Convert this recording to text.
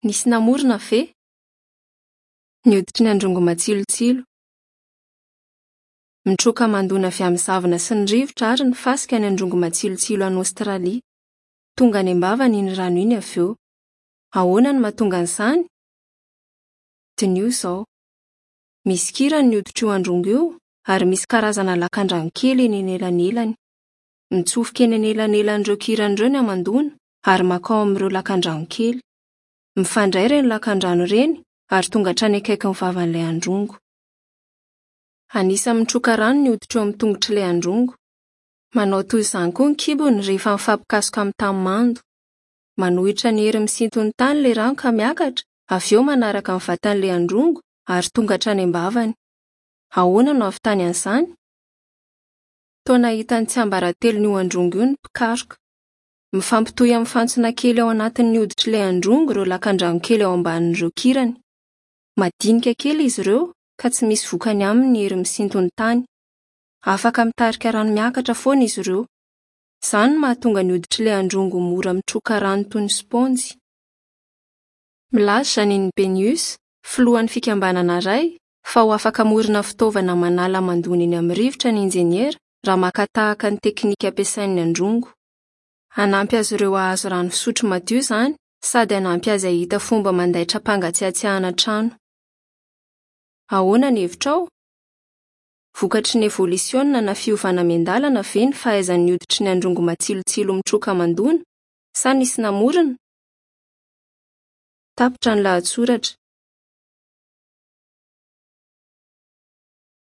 Nisy namorona ve? Ny hoditry ny androngo matsilotsilo. Mitroka hamandoana avy amin'ny zavona sy ny rivotra ary ny fasika ny androngo matsilotsilo any Aostralia. Tonga any am-bavany iny rano iny avy eo. Ahoana no mahatonga an'izany? Diniho izao. Misy kirany ny hoditr'io androngo io ary misy karazana lakandrano kely eny anelanelany. Mitsofoka eny anelanelan'ireo kirany ireo ny hamandoana ary mankao amin'ireo lakandrano kely. Mifandray ireny lakandrano ireny ary tonga hatrany akaikin'ny vavan'ilay androngo. Anisan'ny mitroka rano ny hoditra eo amin'ny tongotr'ilay androngo. Manao toy izany koa ny kibony rehefa mifampikasoka amin'ny tany mando. Manohitra ny hery misinton'ny tany ilay rano ka miakatra, avy eo manaraka ny vatan'ilay androngo ary tonga hatrany am-bavany. Ahoana no hahavitany an'izany? Toa nahita ny tsiambaratelon'io androngo io ny mpikaroka. Mifampitohy amin'ny fantsona kely ao anatin'ny hoditr'ilay androngo ireo lakandrano kely ao ambanin'ireo kirany. Madinika kely izy ireo ka tsy misy vokany aminy ny hery misinton'ny tany. Afaka mitarika rano miakatra foana izy ireo. Izany no mahatonga ny hoditr'ilay androngo ho mora mitroka rano toy ny spaonjy. Milaza Janine Benyus, filohan'ny fikambanana iray, fa ho afaka hamorona fitaovana manala hamandoana eny amin'ny rivotra ny injeniera raha maka tahaka ny teknika ampiasain'ny androngo. Hanampy azy ireo hahazo rano fisotro madio izany sady hanampy azy hahita fomba mandaitra hampangatsiatsiahana trano. Ahoana ny hevitrao? Vokatry ny evolisiona na fiovana miandalana ve ny fahaizan'ny hoditry ny androngo matsilotsilo mitroka hamandoana, sa nisy namorona? Tapitra ny lahatsoratra.